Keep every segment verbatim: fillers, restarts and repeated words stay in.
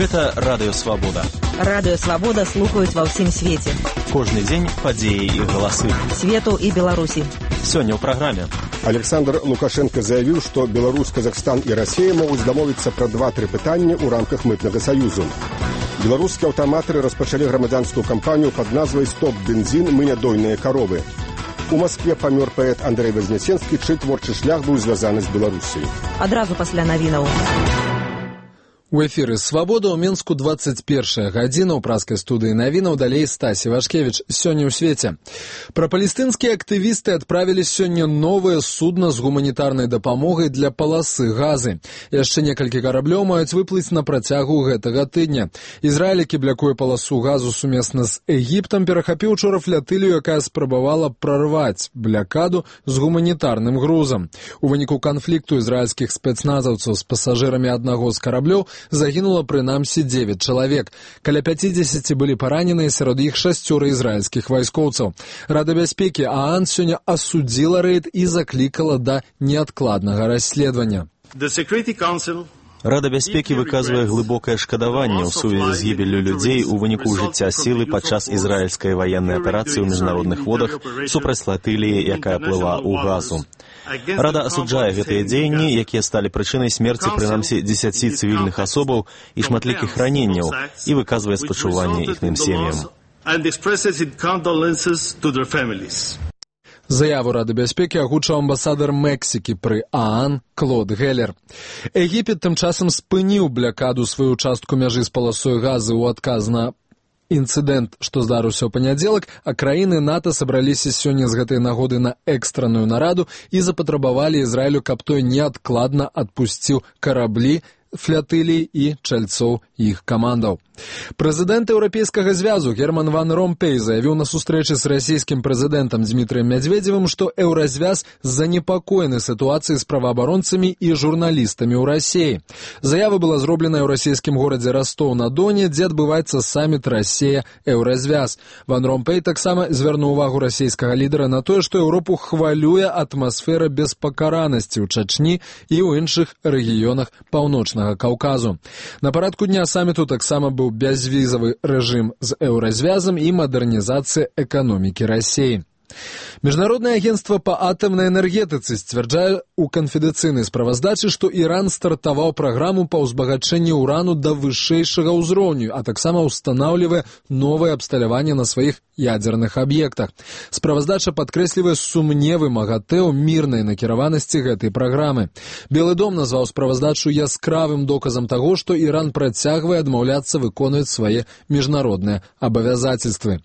Гэта Радыё Свабода. Радыё Свабода слухаюць ва ўсім свеце. Кожны дзень падзеі і галасы. Свету і Беларусі. Сёння ў праграме. Александр Лукашенко заявіў, што Беларусь, Казахстан і Расія могуць дамовіцца пра два-тры пытанні ў рамках мытнага саюзу. Беларускія аўтаматары распачалі грамадзянскую кампанію пад назвай «Стоп бензін, мы нядойныя каровы». У Маскве памёр паэт Андрэй Вазняценскі, чый творчы шлях быў звязаны з Беларусіяй. Адразу пасля навінаў. У эфіры «Свабода» ў Мінску двадцать першая гадзіна, ў праскай студыі навінаў, далей Стасі Вашкевіч. Сёння ў свеце. Прапалестынскія актывісты адправілі сёння новае судна з гуманітарнай дапамогай для паласы Газы. Яшчэ некалькі караблёў маюць выплыць на працягу гэтага тыдня. Ізраіль, які блякуе паласу Газу сумесна з Егіптам, перахапіў учора флятылію, якая спрабавала прарваць блякаду з гуманітарным грузам. У выніку канфлікту ізраільскіх спецназаўцаў з пасажырамі аднаго з караблёў загінула прынамсі дзевяць чалавек. Каля пяцідзесяці былі параненыя, сярод іх шасцёра ізраільскіх вайскоўцаў. Рада бяспекі ААН сёння асудзіла рэйд і заклікала да неадкладнага расследавання. Рада бяспекі выказвае глыбокае шкадаванне ў сувязі з гібеллю людзей у выніку ўжыцця сілы падчас ізраільскай ваеннай аперацыі ў міжнародных водах супраць флатыліі, якая плыла ў Газу. Рада асуджае гэтыя дзеянні, якія сталі прычынай смерці прынамсі дзесяці цывільных асобаў і шматлікіх раненняў, і выказвае спачуванне іхным сем'ям. Заяву Рады бяспекі агучыў амбасадар Мексікі пры ААН Клод Геллер. Егіпет тым часам спыніў блякаду сваю частку мяжы з паласой Газы ў адказ на інцыдэнт, што здарыўся ў панядзелак, а краіны НАТО сабраліся сёння з гэтай нагоды на экстранную нараду і запатрабавалі Ізраілю, каб той неадкладна адпусціў караблі, флятылій і чальцоў іх камандаў. Прэзідэнт Еўрапейскага звязу Герман ван Ромпей заявіў на сустрэчы з расійскім прэзідэнтам Дзмітрыем Мядзведзевым, што Еўразвяз занепакоены сітуацыяй з праваабаронцамі і журналістамі ў Расіі. Заява была зроблена ў расійскім горадзе Ростов-на-Доне, дзе адбываецца саміт Расія-Еўразвяз. Ван Ромпей таксама звярнуў увагу расійскага лідара на тое, што Еўропу хвалюе атмасфера беспакаранасці ў Чачні і ў іншых рэгіёнах паўночнага Каўказу. На парадку дня саміту таксама быў бязвізавы рэжым з Еўразвязам і мадэрнізацыя эканомікі Расіі. Міжнароднае агенцтва па атамнай энергетыцы сцвярджае ў канфідэнцыйнай справаздачы, што Іран стартаваў праграму па ўзбагачэнні ўрану да вышэйшага ўзроўню, а таксама ўстанаўлівае новае абсталяванне на сваіх ядзерных аб'ектах. Справаздача падкрэслівае сумневы МАГАТЭ ў мірнай накіраванасці гэтай праграмы. Белы дом назваў справаздачу яскравым доказам таго, што Іран працягвае адмаўляцца выконваць свае міжнародныя абавязацельствы.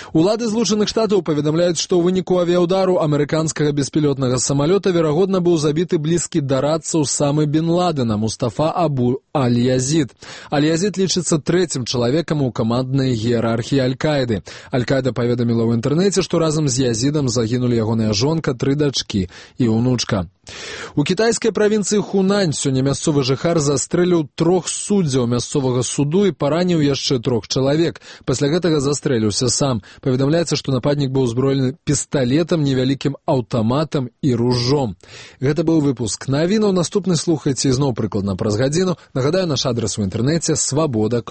Улады Злучаных Штатаў паведамляюць, што ў выніку авіяўдару амерыканскага беспілотнага самалёта верагодна быў забіты блізкі да радцаў самы Бін Ладена Мустафа Абу Аль-Язід. Аль-Язід лічыцца трэцім чалавекам у каманднай іерархіі Аль-Каіды. Аль-Каіда паведаміла ў інтэрнэце, што разам з Язідам загінулі ягоная жонка, тры дачкі і ўнучка. У кітайскай правінцыі Хунань сёння мясцовы жыхар застрэліў трох суддзяў мясцовага суду і параніў яшчэ трох чалавек. Пасля гэтага застрэліўся сам. Паведамляецца, што нападнік быў узброены пісталетам, невялікім аўтаматам і ружом. Гэта быў выпуск навінаў. Наступны слухайце ізноў прыкладна праз гадзіну. Нагадаю, наш адрас у інтэрнэце свабода